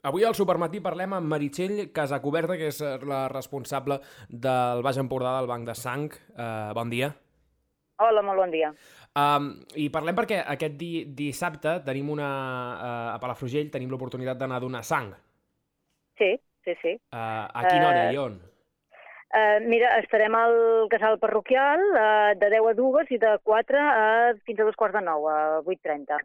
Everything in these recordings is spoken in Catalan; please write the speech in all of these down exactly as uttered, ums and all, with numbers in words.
Avui al Supermatí parlem amb Meritxell Casacuberta, que és la responsable del Baix Empordà del Banc de Sang. Uh, bon dia. Hola, molt bon dia. Um, I parlem perquè aquest di dissabte tenim una... Uh, a Palafrugell tenim l'oportunitat d'anar a donar sang. Sí, sí, sí. Uh, a quina hora Uh, i on? uh, mira, estarem al casal parroquial uh, de deu a dues i de quatre a fins a dos quarts de nou, a vuit trenta.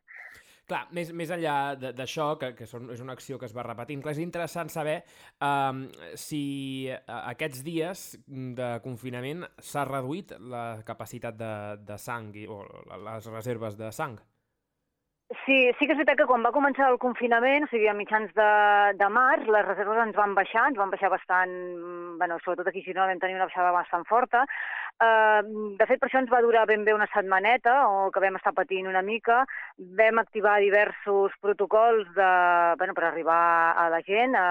Clar, més, més enllà d'això, que, que són, és una acció que es va repetint, clar, és interessant saber um, si aquests dies de confinament s'ha reduït la capacitat de, de sang i, o les reserves de sang. Sí, sí que és veritat que quan va començar el confinament, o sigui, a mitjans de, de març, les reserves ens van baixar, ens van baixar bastant, bueno, sobretot aquí a Girona vam tenir una baixada bastant forta. Uh, de fet, per això ens va durar ben bé una setmaneta, o que vam estar patint una mica. Vam activar diversos protocols de, bueno, per arribar a la gent, a,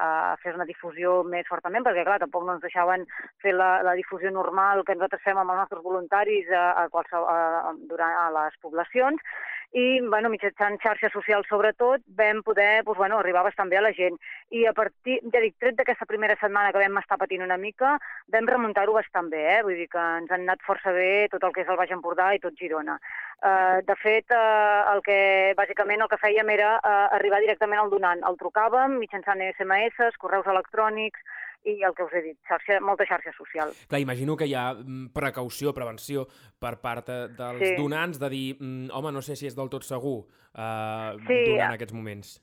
a fer una difusió més fortament, perquè, clar, tampoc no ens deixaven fer la, la difusió normal que nosaltres fem amb els nostres voluntaris a, a, qualsevol, a, durant, a les poblacions. I, bueno, mitjançant xarxes socials sobretot, vam poder, doncs, bueno, arribar bastant bé a la gent. I a partir, ja dic, tret d'aquesta primera setmana que vam estar patint una mica, vam remuntar-ho bastant bé, eh? Vull dir que ens han anat força bé tot el que és el Baix Empordà i tot Girona. Uh, de fet, uh, el que, bàsicament el que fèiem era uh, arribar directament al donant. El trucàvem mitjançant esse eme esse, correus electrònics, i el que us he dit, xarxa, molta xarxa social. Clar, imagino que hi ha precaució, prevenció per part dels sí. donants de dir, home, no sé si és del tot segur eh, sí. durant aquests moments.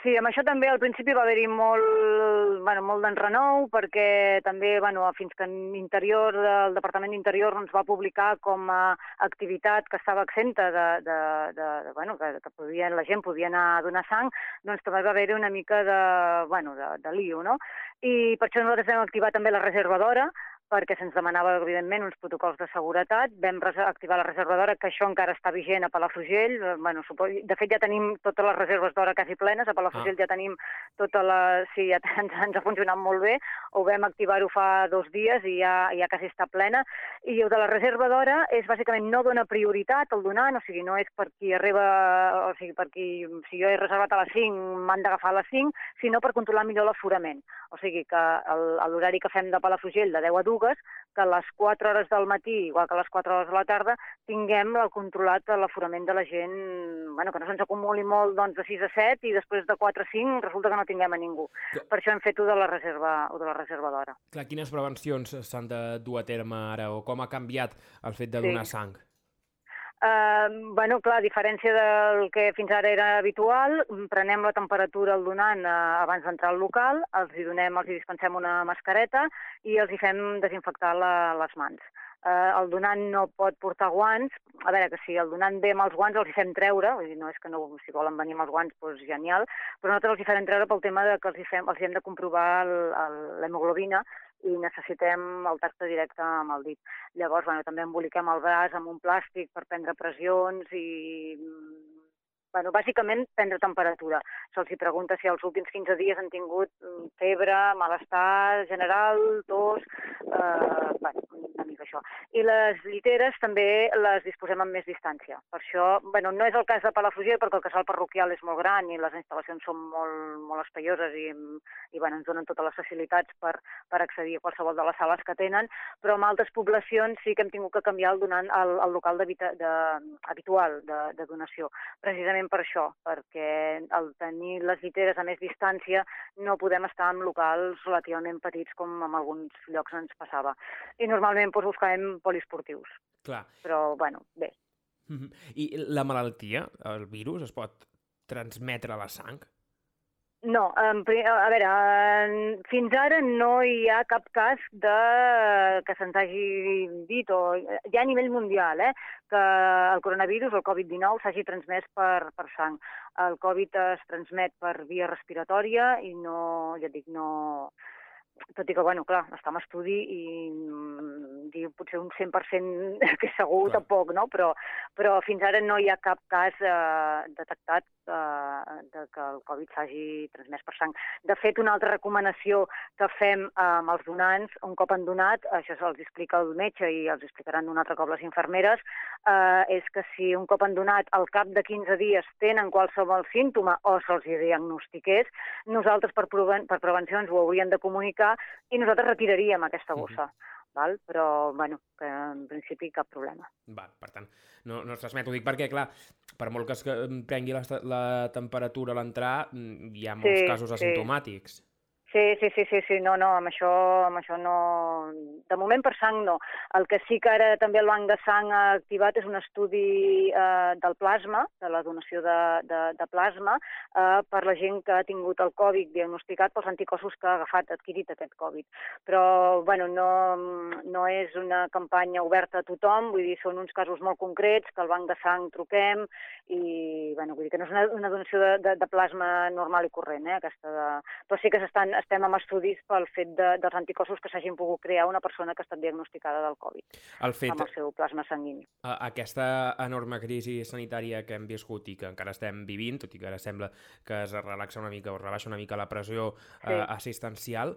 Sí, amb això també al principi va haver-hi molt, bueno, molt d'enrenou, perquè també, bueno, fins que l'Interior, el Departament d'Interior ens va publicar com a activitat que estava exenta de, de, de, de bueno, que, que podia, la gent podia anar a donar sang, doncs també va haver-hi una mica de, bueno, de, de lío, no? I per això nosaltres vam activar també la reserva d'hora, perquè se'ns demanava, evidentment, uns protocols de seguretat. Vam activar la reserva d'hora, que això encara està vigent a Palafrugell. Bueno, de fet, ja tenim totes les reserves d'hora quasi plenes. A Palafrugell ah. ja tenim tota la... Sí, ja ens, ens ha funcionat molt bé. Ho vam activar-ho fa dos dies i ja, ja quasi està plena. I el de la reserva d'hora és, bàsicament, no dona prioritat al donant, o sigui, no és per qui arriba... O sigui, per qui... Si jo he reservat a les cinc, m'han d'agafar a les cinc, sinó per controlar millor l'aforament. O sigui, que l'horari que fem de Palafrugell, de deu a dues, que a les quatre hores del matí, igual que a les quatre hores de la tarda, tinguem el controlat l'aforament de la gent, bueno, que no se'ns acumuli molt doncs, de sis a set i després de quatre a cinc resulta que no tinguem a ningú. Clar. Per això hem fet-ho de la reserva de la reserva d'hora. Clar, quines prevencions s'han de dur a terme ara o com ha canviat el fet de donar sí. sang? Uh, bueno, clar, a diferència del que fins ara era habitual, prenem la temperatura al donant uh, abans d'entrar al local, els hi donem, els hi dispensem una mascareta i els hi fem desinfectar la, les mans. Uh, el donant no pot portar guants, a veure, que si el donant ve amb els guants els hi fem treure, vull dir, no és que no, si volen venir amb els guants, doncs genial, però nosaltres els hi farem treure pel tema de que els hi, fem, els hi hem de comprovar l'hemoglobina i necessitem el tacte directe amb el dit. Llavors, bueno, també emboliquem el braç amb un plàstic per prendre pressions i, bueno, bàsicament prendre temperatura. Se'ls hi pregunta si els últims quinze dies han tingut febre, malestar general, tos, eh, bueno, una mica això. I les lliteres també les disposem amb més distància. Per això, bueno, no és el cas de Palafrugell perquè el casal parroquial és molt gran i les instal·lacions són molt, molt espaioses i, i bueno, ens donen totes les facilitats per, per accedir a qualsevol de les sales que tenen, però en altres poblacions sí que hem tingut que canviar el, donant, el, el local de, de, habitual de, de donació, precisament per això, perquè al tenir les lliteres a més distància no podem estar en locals relativament petits com en alguns llocs ens passava. I normalment doncs, buscàvem poliesportius. Clar. Però, bueno, bé. Mm-hmm. I la malaltia, el virus, es pot transmetre a la sang? No, a veure, fins ara no hi ha cap cas de que se'ns hagi dit, o ja a nivell mundial, eh, que el coronavirus, el covid dinou, s'hagi transmès per, per sang. El Covid es transmet per via respiratòria i no, ja dic, no... tot i que, bueno, clar, està en estudi i mm, dir potser un cent per cent que segur clar. Tampoc, no? Però, però fins ara no hi ha cap cas eh, detectat eh, de que el Covid s'hagi transmès per sang. De fet, una altra recomanació que fem eh, amb els donants, un cop han donat, això se'ls explica el metge i els explicaran un altre cop les infermeres, eh, és que si un cop han donat al cap de quinze dies tenen qualsevol símptoma o se'ls diagnostiqués, nosaltres per, preven per prevencions ho hauríem de comunicar i nosaltres retiraríem aquesta bossa. Uh-huh. Val? Però, bueno, que en principi cap problema. Va, per tant, no, no es transmet. Ho dic perquè, clar, per molt que es prengui la, la temperatura a l'entrar, hi ha molts sí, casos asimptomàtics. Sí. Sí, sí, sí, sí, sí, no, no, amb això, amb això no... De moment per sang no. El que sí que ara també el Banc de Sang ha activat és un estudi eh, del plasma, de la donació de, de, de plasma, eh, per la gent que ha tingut el Covid diagnosticat pels anticossos que ha agafat, adquirit aquest Covid. Però, bueno, no, no és una campanya oberta a tothom, vull dir, són uns casos molt concrets, que al Banc de Sang truquem i, bueno, vull dir que no és una, una donació de, de, de plasma normal i corrent, eh, aquesta de... Però sí que s'estan estem amb estudis pel fet de, dels anticossos que s'hagin pogut crear una persona que ha estat diagnosticada del Covid el fet, amb el seu plasma sanguini. Aquesta enorme crisi sanitària que hem viscut i que encara estem vivint, tot i que ara sembla que es relaxa una mica o es rebaixa una mica la pressió sí. eh, assistencial,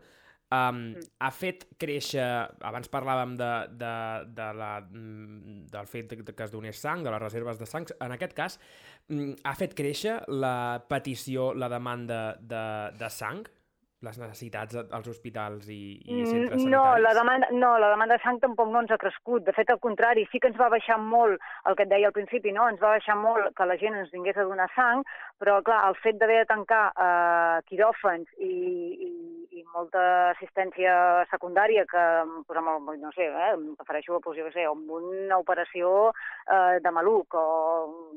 Um, mm. ha fet créixer, abans parlàvem de, de, de la, del fet que es donés sang, de les reserves de sang, en aquest cas ha fet créixer la petició, la demanda de, de sang? Les necessitats als hospitals i, i centres sanitaris? No la, demanda, no, la demanda de sang tampoc no ens ha crescut. De fet, al contrari, sí que ens va baixar molt, el que et deia al principi, no? Ens va baixar molt que la gent ens vingués a donar sang, però, clar, el fet d'haver de tancar eh, quiròfans i, i, i molta assistència secundària que, pues, amb, no sé, eh, em refereixo pues, jo sé, amb una operació eh, de maluc o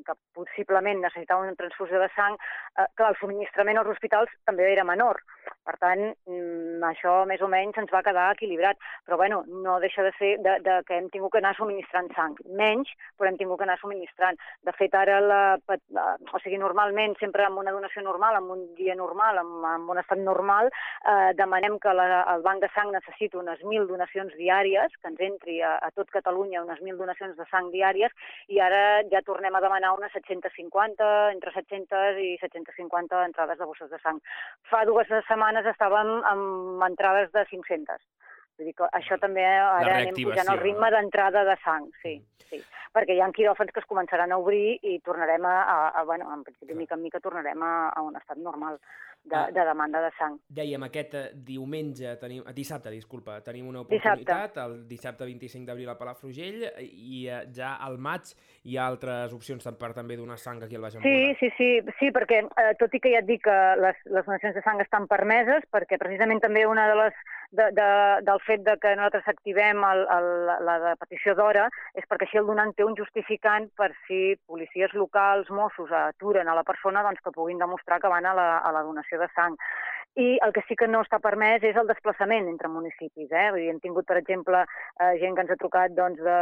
que possiblement necessitava una transfusió de sang, eh, clar, el subministrament als hospitals també era menor. Per tant, això més o menys ens va quedar equilibrat. Però, bueno, no deixa de ser de, de que hem tingut que anar subministrant sang. Menys, però hem tingut que anar subministrant. De fet, ara, la, la, o sigui, normalment, sempre amb una donació normal, amb un dia normal, amb, amb un estat normal, eh, demanem que la, el Banc de Sang necessiti unes mil donacions diàries, que ens entri a, a tot Catalunya unes mil donacions de sang diàries, i ara ja tornem a demanar unes set-cents cinquanta, entre set-cents i set-cents cinquanta entrades de bosses de sang. Fa dues setmanes estàvem amb entrades de cinc-centes. Vull dir que això també ara anem pujant el ritme d'entrada de sang, sí, sí. Perquè hi ha quiròfans que es començaran a obrir i tornarem a, a, a bueno, en principi, mica en mica tornarem a, a un estat normal de, de demanda de sang. Dèiem, aquest diumenge, tenim, dissabte, disculpa, tenim una oportunitat, dissabte. El dissabte vint-i-cinc d'abril a Palafrugell, i ja al maig hi ha altres opcions per també donar sang aquí al Baix Empordà. Sí, sí, sí, sí, perquè eh, tot i que ja et dic que les, les donacions de sang estan permeses, perquè precisament també una de les De, de, del fet de que nosaltres activem el, el, la de petició d'hora és perquè així el donant té un justificant per si policies locals, Mossos, aturen a la persona doncs, que puguin demostrar que van a la, a la donació de sang. I el que sí que no està permès és el desplaçament entre municipis. Eh? Vull dir, hem tingut, per exemple, eh, gent que ens ha trucat doncs, de,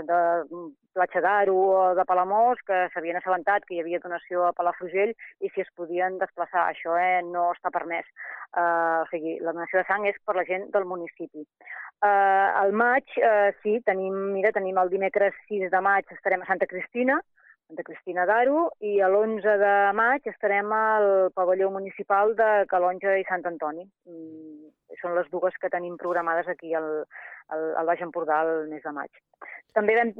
de Platja d'Aro o de Palamós, que s'havien assabentat que hi havia donació a Palafrugell i si es podien desplaçar. Això eh, no està permès. Uh, o sigui, la donació de sang és per la gent del municipi. Uh, al maig, uh, sí, tenim, mira, tenim el dimecres sis de maig, estarem a Santa Cristina, Santa Cristina d'Aro, i l'onze de maig estarem al pavelló municipal de Calonja i Sant Antoni. Mm, són les dues que tenim programades aquí al, al, al Baix Empordà el mes de maig. També vam,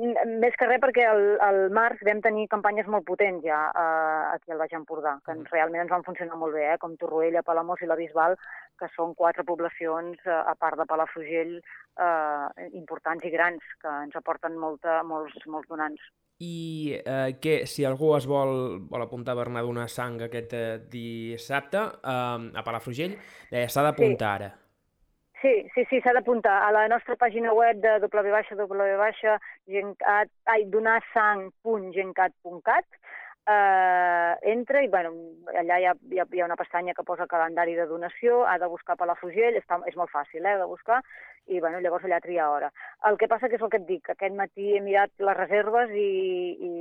més que res perquè al, al març vam tenir campanyes molt potents ja eh, aquí al Baix Empordà, que mm. realment ens van funcionar molt bé, eh, com Torroella, Palamós i la Bisbal, que són quatre poblacions, eh, a part de Palafrugell, eh, importants i grans, que ens aporten molta, molts, molts donants. I eh, que si algú es vol, vol apuntar per anar a donar sang aquest eh, dissabte eh, a Palafrugell, eh, s'ha d'apuntar sí. ara. Sí, sí, sí, s'ha d'apuntar a la nostra pàgina web de w w w punt donar sang punt gencat punt cat. eh, entra i bueno, allà hi ha, hi, ha, hi ha una pestanya que posa calendari de donació, ha de buscar Palafrugell, està, és molt fàcil eh, de buscar, i bueno, llavors allà tria hora. El que passa que és el que et dic, aquest matí he mirat les reserves i, i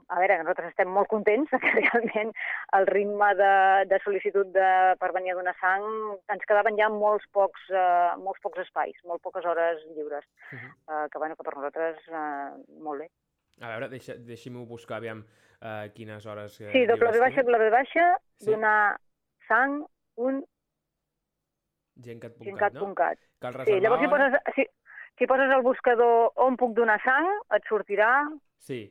a veure, nosaltres estem molt contents que realment el ritme de, de sol·licitud de, per venir a donar sang ens quedaven ja molts pocs, uh, molts pocs espais, molt poques hores lliures, uh-huh. uh, que, bueno, que per nosaltres uh, molt bé. A veure, deixa, deixi-m'ho buscar, aviam uh, quines hores... Uh, sí, doble V baixa, doble V baixa, sí? Donar sang, un... Gencat punt cat, gencat punt cat, no? Cal reservar... Sí, llavors si poses, si, si poses al buscador on puc donar sang, et sortirà... Sí,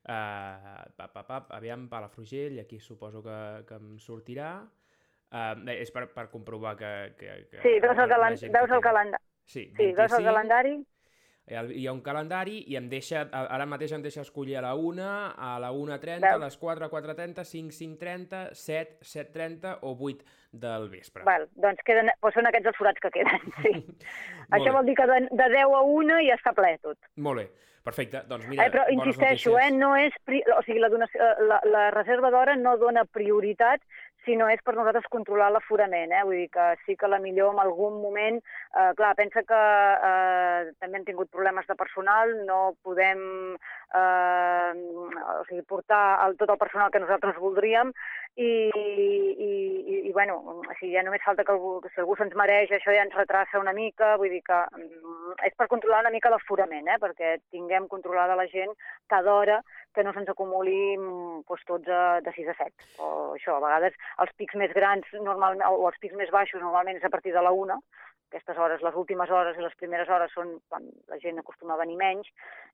uh, pap, pap, pap, aviam, Palafrugell, aquí suposo que, que em sortirà. Uh, és per, per comprovar que... que, que sí, veus el, calen veus el calendari. Sí, sí, veus el calendari. Hi ha un calendari i em deixa, ara mateix em deixa escollir a la una, a la una trenta, a les quatre, quatre trenta, cinc, cinc trenta, set, set trenta o vuit del vespre. Val, doncs, queden, doncs són aquests els forats que queden, sí. Això vol dir que de, de deu a una ja està ple tot. Molt bé, perfecte. Doncs mira, eh, però insisteixo, eh, no és, o sigui, la, donació, la, la reserva d'hora no dona prioritat, sinó és per nosaltres controlar l'aforament, eh? Vull dir que sí que la millor en algun moment, eh, clar, pensa que eh, també hem tingut problemes de personal, no podem eh, o sigui, portar el, tot el personal que nosaltres voldríem i, i, i, i bueno, o sigui, ja només falta que, algú, que si algú se'ns mereix, això ja ens retrassa una mica, vull dir que és per controlar una mica l'aforament, eh? Perquè tinguem controlada la gent cada hora, que no se'ns acumuli doncs, tots a, de sis a set. O això, a vegades els pics més grans normalment, o els pics més baixos normalment és a partir de la una. Aquestes hores, les últimes hores i les primeres hores són quan la gent acostuma a venir menys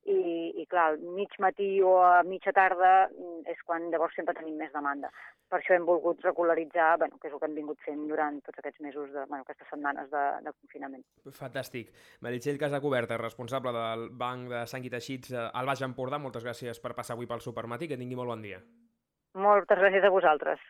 i, i clar, al mig matí o a mitja tarda és quan llavors sempre tenim més demanda. Per això hem volgut regularitzar, bueno, que és el que hem vingut fent durant tots aquests mesos, de, bueno, aquestes setmanes de, de confinament. Fantàstic. Meritxell Casacuberta, responsable del Banc de Sang i Teixits al Baix Empordà, moltes gràcies per passar avui pel Supermatí, que tingui molt bon dia. Moltes gràcies a vosaltres.